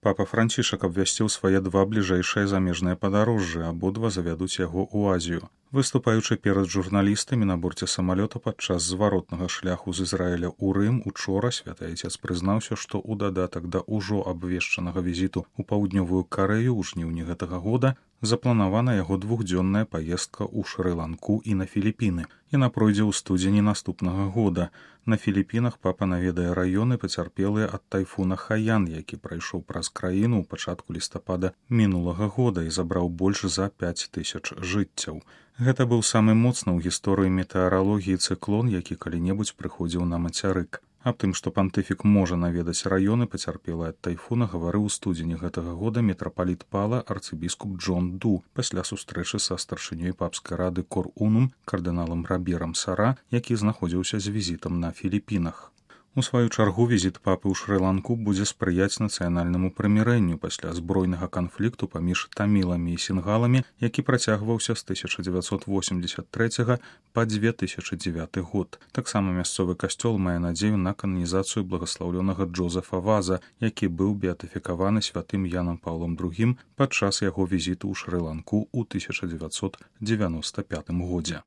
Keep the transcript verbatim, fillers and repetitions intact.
Папа Францішак абвясціў свае два бліжэйшыя замежныя падарожжы, абодва завядуць яго ў Азію. Выступаючы перад журналістамі на борце самалёта падчас зваротнага шляху з Ізраіля ў Рым, учора святы айцец прызнаўся, што ў дадатак да ўжо абвешчанага візіту ў паўднёвую Карэю ў жніўні гэтага года запланавана яго двухдзённая паездка ў Шры-Ланку і на Філіпіны. Яна пройдзе ў студзені наступнага года. На Філіпінах папа наведае раёны, пацярпелыя ад тайфуна Хаян, які прайшоў праз краіну ў пачатку лістапада мінулага года і забраў больш за пяць тысяч жыццяў. Гэта быў самы моцны ў гісторыі метэаралогіі цыклон, які калі-небудзь прыходзіў на мацярык. Аб тым, што пантыфік можа наведаць раёны, пацярпелыя ад тайфуна, гаварыў у студзені гэтага года мітрапаліт Пала арцыбіскуп Джон Ду пасля сустрэчы са старшынёй папскай рады Кор-Унум кардыналам Раберам Сара, які знаходзіўся з візітам на Філіпінах. У сваю чаргу візіт папы ў Шры-Ланку будзе спрыяць нацыянальнаму прымірэнню пасля збройнага канфлікту паміж таміламі і сінгаламі, які працягваўся з тысяча дзевяцьсот восемдзесят трэцяга па две тысячы дзевяты год. Таксама мясцовы касцёл мае надзею на кананізацыю благаслаўлёнага Джозефа Ваза, які быў беатыфікаваны святым Янам Паўлом другім падчас яго візіту ў Шры-Ланку ў тысяча дзевяцьсот дзевяноста пятым годзе.